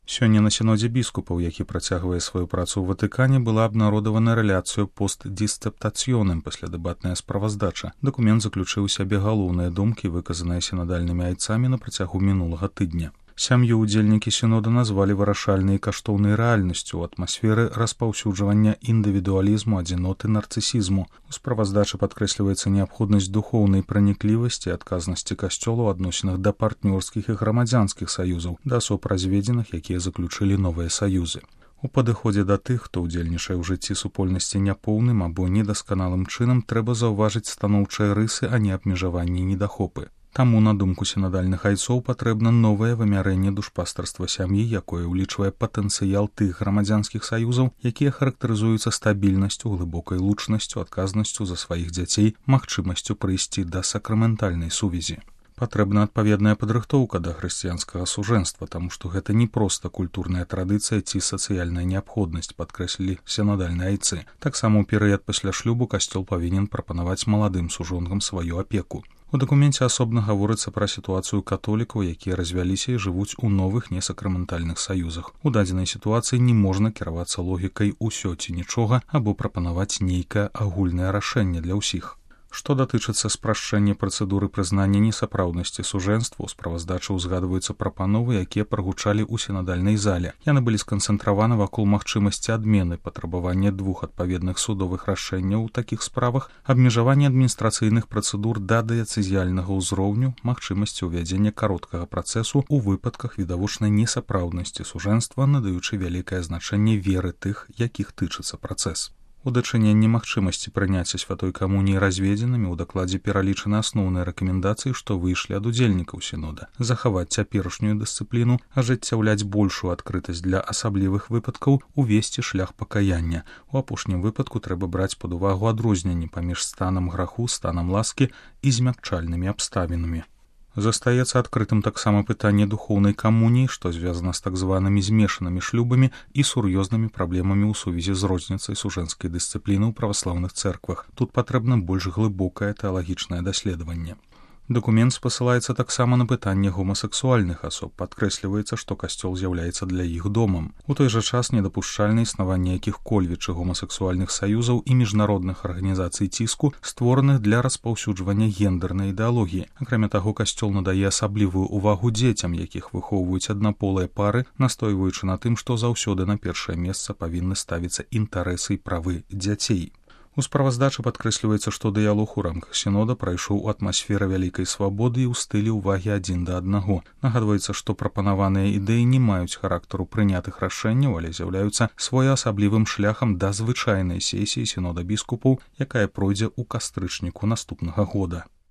Сёння на сінодзе біскупаў, які працягвае сваю працу ў Ватыкане, была абнародавана рэляцыю пост-дістаптацыёным паслядэбатная справаздача. Дакумент заключыў у сябе галоўныя думкі, выказаныя сінадальнымі айцамі на працягу мінулага тыдня. Сям'ю ўдзельнікі сінода назвалі вырашальнай і каштоўнай рэальнасцю ў атмасферы распаўсюджвання індывідуалізму, адзіноты, нарцысізму. У справаздачы падкрэсліваецца неабходнасць духоўнай праніклівасці і адказнасці касцёла ў адносінах да партнёрскіх і грамадзянскіх саюзаў, да асоб разведзеных, якія заключылі новыя саюзы. У падыходзе да тых, хто ўдзельнічае ў жыцці супольнасці няпоўным або недасканалым чынам, трэба заўважыць станоўчыя рысы, а не абмежаванні і недахопы. Таму, на думку сінадальных айцоў, патрэбна новае вымярэнне душпастарства сям'і, якое ўлічвае патэнцыял тых грамадзянскіх саюзаў, якія характарызуюцца стабільнасцю, глыбокай лучнасцю, адказнасцю за сваіх дзяцей, магчымасцю прыйсці да сакраментальнай сувязі. Патрэбна адпаведная падрыхтоўка да хрысціянскага сужэнства, таму што гэта не проста культурная традыцыя ці сацыяльная неабходнасць, падкрэслілі сінадальныя айцы. Таксама ў перыяд пасля шлюбу касцёл павінен прапанаваць маладым сужонгам сваю апеку. У дакуменце асобна гаворыцца пра сітуацыю католікаў, якія развяліся і жывуць у новых несакраментальных саюзах. У дадзенай сітуацыі не можна кіравацца логікай «усё ці нічога» або прапанаваць нейкае агульнае рашэнне для ўсіх. Што датычыцца спрашчэння працэдуры прызнання несапраўднасці сужэнства, у справаздачы ўзгадваюцца прапановы, якія прагучалі ў сінадальнай зале. Яны былі сканцэнтраваны вакол магчымасці адмены, патрабавання 2 адпаведных судовых рашэнняў у такіх справах, абмежавання адміністрацыйных працэдур да дыяцэзіяльнага ўзроўню, магчымасці ўвядзення кароткага працэсу ў выпадках відавочнай несапраўднасці сужэнства, надаючы вялікае значэнне веры тых, якіх тычыцца працэс. У дачыненні магчымасці прыняцця святой камуніі разведзенымі ў дакладзе пералічаны асноўныя рэкамендацыі, што выйшлі ад удзельнікаў сінода. Захаваць цяперашнюю дысцыпліну, ажыццяўляць большую адкрытасць для асаблівых выпадкаў, увесці шлях пакаяння. У апошнім выпадку трэба браць пад увагу адрозненні паміж станам граху, станам ласкі і змякчальнымі абставінамі. Застаецца адкрытым таксама пытанне духоўнай камуніі, што звязана з так званымі змешанымі шлюбамі і сур'ёзнымі праблемамі ў сувязі з розніцай сужэнскай дысцыпліны ў праваслаўных цэрквах. Тут патрэбна больш глыбокае тэалагічнае даследаванне. Дакумент спасылаецца таксама на пытанне гомасексуальных асоб. Падкрэсліваецца, што касцёл з'яўляецца для іх домам. У той жа час недапушчальна існаванне якіх-кольвіч гомасексуальных саюзаў і міжнародных арганізацый ціску, створаных для распаўсюджвання гендэрнай ідэалогіі. Акрамя таго, касцёл надае асаблівую ўвагу дзецям, якіх выхоўваюць аднаполыя пары, настойваючы на тым, што заўсёды на першае месца павінны ставіцца інтарэсы і правы дзяцей. У справаздачы падкрэсліваецца, што дыялог у рамках сінода прайшоў у атмасферы вялікай свабоды і ў стылі ўвагі адзін да аднаго. Нагадваецца, што прапанаваныя ідэі не маюць характару прынятых рашэнняў, але з'яўляюцца своеасаблівым шляхам да звычайнай сесіі сінода біскупаў, якая пройдзе ў кастрычніку наступнага года.